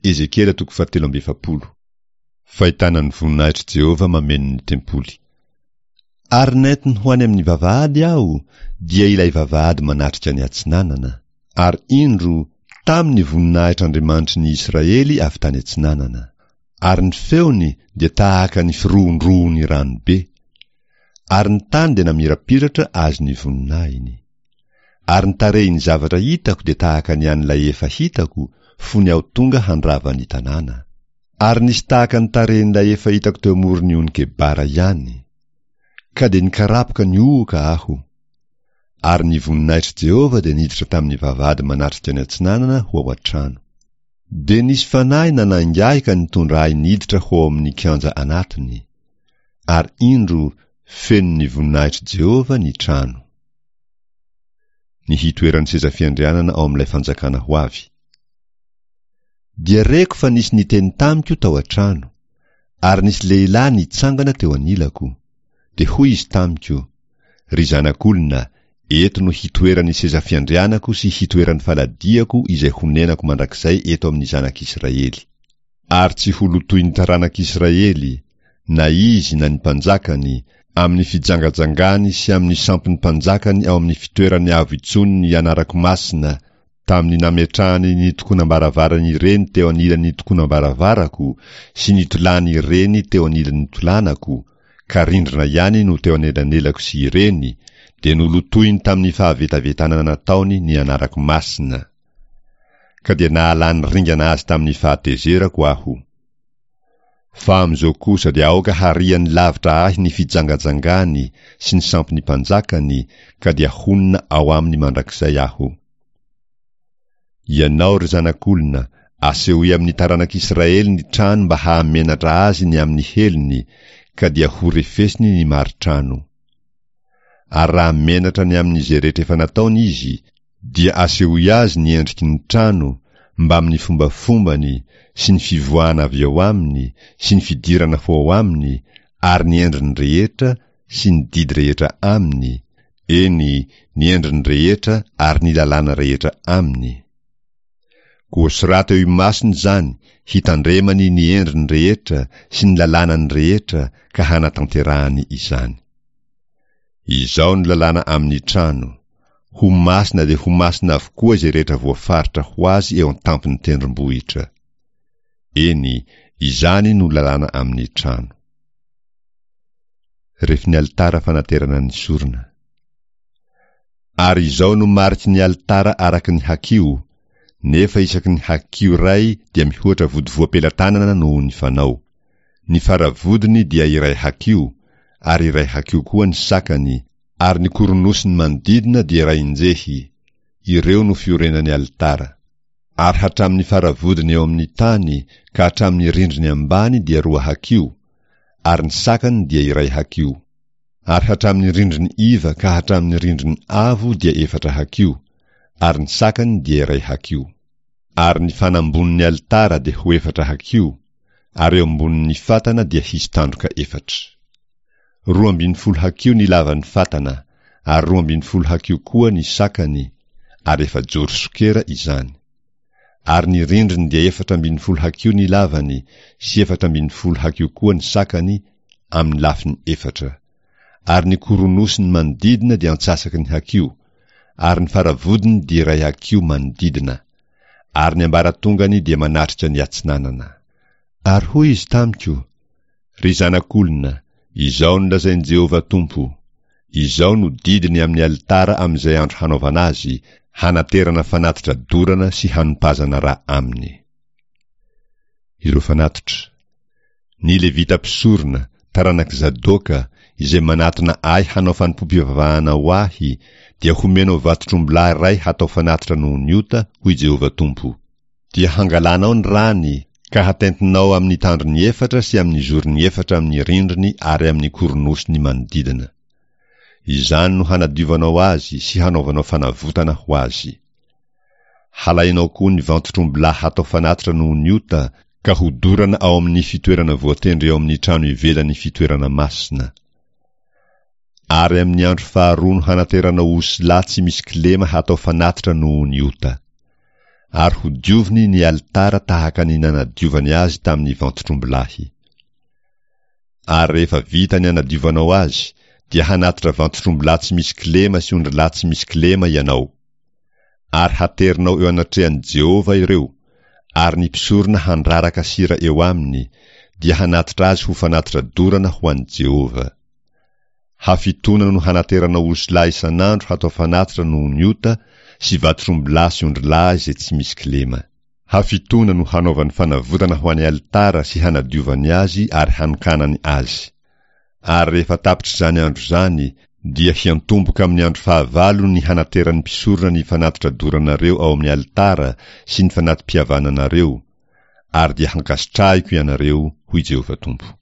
Ezekiela toko fahatelo amby efapolo. Fahitana ny voninahitr'i Jehovah mameno ny tempoly. Ary nentiny ho any amin'ny vavahady aho, dia ilay vavahady manatrika ny atsinanana. Ary indro, tamy ny voninahitr'Andriamanitry ny Israely avy tany atsinanana. Ary ny feony dia tahaka ny firohondrohon'ny rano be. Ary ny tany dia namirapiratra azy ny voninahiny. Ary ny tarehin'ny zavatra hitako dia tahaka ny an'ilay efa hitako fony aho tonga handrava ny tanàna. Ary nisy tahaka ny tarehin'ilay efa hitako teo amoron'ny ony Kebara ihany. Ka dia nikarapoka nihohoka aho. Ary ny voninahitr'i Jehovah dia niditra tamin'ny vavahady manatrika ny atsinanana ho ao an-trano. Dia nisy fanahy nanainga ahy ka nitondra ahy niditra ho ao amin'ny kianja anatiny. Ary indro, feno ny voninahitr'i Jehovah ny trano. Ny hitoeran'ny seza fiandrianana ao amin'ilay fanjakana ho avy. Dia reko fa nisy niteny tamiko tao an-trano, ary nisy lehilahy nitsangana teo anilako. Dia hoy izy tamiko, Ry zanak'olona, eto no hitoeran'ny seza fiandrianako sy hitoeran'ny faladiako izay honenako mandrakizay eto amin'ny zanak'Israely. Ary tsy ho lotoin'ny taranak'Israely, na izy na ny mpanjakany, amin'ny fijangajangany sy amin'ny sampin'ny mpanjakany ao amin'ny fitoerany avo intsony ny anarako masina, tamin'ny nametrahany ny tokonam-baravarany ireny teo anilan'ny tokonam-baravarako sy nitolany ireny teo anilan'ny tolanako, ka rindrina ihany no teo anelanelako sy ireny, dia nolotoiny tamin'ny fahavetavetana nataony ny anarako masina. Ka dia nahalany ringana azy tamin'ny fahatezerako aho. Fa amin'izao kosa dia aoka hariany lavitra ahy ny fijangajangany sy ny sampin'ny mpanjakany, ka dia honina ao aminy mandrakizay aho. Ianao, ry zanak'olona, asehoy amin'ny taranak'Israely ny trano mba hahamenatra azy ny amin'ny helony, ka dia horefesiny ny mari-trano. Ary raha menatra ny amin'izay rehetra efa nataony izy, dia asehoy azy ny endriky ny trano mbamin'ny fombafombany sy ny fivoahana avy ao aminy sy ny fidirana ho ao aminy ary ny endriny rehetra sy ny didy rehetra aminy, eny, ny endriny rehetra ary ny lalàna rehetra aminy. Koa soraty eo imasony izany hitandremany ny endriny rehetra sy ny lalànany rehetra ka hanatanterahany izany. Izao no lalàna amin'ny trano, Ho masina dia ho masina avokoa izay rehetra voafaritra ho azy eo an-tampon'ny tendrombohitra. Eny, izany no lalàna amin'ny trano. Refin'ny alitara fanaterana ny sorona. Ary izao no mariky ny alitara araka ny hakiho, nefa isaky ny hakiho iray dia mihoatra vodivoam-pelatanana noho ny fanao. Ny fara-vodiny dia iray hakiho, ary iray hakiho koa ny sakany, ary ny koronosiny manodidina dia iray injehy, ireo no fiorenan'ny alitara. Ary hatramin'ny fara-vodiny eo amin'ny tany ka hatramin'ny rindriny ambany dia roa hakiho, ary ny sakany dia iray hakiho. Ary hatramin'ny rindriny iva ka hatramin'ny rindriny avo dia efatra hakiho, ary ny sakany dia iray hakiho. Ary ny fanambonin'ny alitara dia ho efatra hakiho, ary eo ambonin'ny fatana dia hisy tandroka efatra. 12 hakiho ny lavan'ny fatana, ary 12 hakiho koa ny sakany, ary efajoro sokera izany. Ary ny rindriny dia 14 hakiho ny lavany sy 14 hakiho koa ny sakany amin'ny lafiny efatra. Ary ny koronosiny manodidina dia antsasaky ny hakiho, ary ny faravodiny dia iray hakiho manodidina. Ary ny ambaratongany dia manatrika ny atsinanana. Ary hoy izy tamiko, Ry zanak'olona, izao no lazain'i Jehovah Tompo, Izao no didiny amin'ny alitara amin'izay andro hanaovana azy, hanaterana fanatitra dorana sy hanompazana ra aminy. Ireo fanatitra. Ny Levita mpisorona, taranak'i Zadoka, izay manatona ahy hanao fanompoam-pivavahana ho ahy, dia homenao vantotr'ombilahy iray hatao fanatitra noho ny ota, hoy Jehovah Tompo. Dia hangalanao ny rany, ka hatentinao amin'ny tandrony efatra sy amin'ny zorony efatra amin'ny rindriny ary amin'ny koronosiny manodidina. Izany no hanadiovanao azy sy hanaovanao fanavotana ho azy. Halainao koa ny vantotr'ombilahy hatao fanatitra noho ny ota, ka hodorana ao amin'ny fitoerana voatendry eo amin'ny trano ivelan'ny fitoerana masina. Ary amin'ny andro faharoa no hanateranao osilahy tsy misy kilema hatao fanatitra noho ny ota. Ary hodioviny ny alitara tahaka ny nanadiovany azy tamin'ny vantotr'ombilahy. Ary rehefa vita ny anadiovanao azy, dia hanatitra vantotr'ombilahy tsy misy kilema sy ondrilahy tsy misy kilema ianao. Ary haterinao eo anatrehan'i Jehovah ireo, ary ny mpisorona handraraka sira eo aminy, dia hanatitra azy ho fanatitra dorana ho an'i Jehovah. Hafitoana no hanateranao osilahy isan'andro hatao fanatitra noho ny ota, sy vatotr'ombilahy sy ondrilahy izay tsy misy kilema. Hafitoana no hanaovany fanavotana ho an'ny alitara sy hanadiovany azy ary hanokanany azy. Ary rehefa tapitr'izany andro izany, dia hiantomboka amin'ny andro fahavalo ny hanateran'ny mpisorona ny fanatitra doranareo ao amin'ny alitara sy ny fanati-pihavananareo, ary dia hankasitrahiko ianareo, hoy Jehovah Tompo.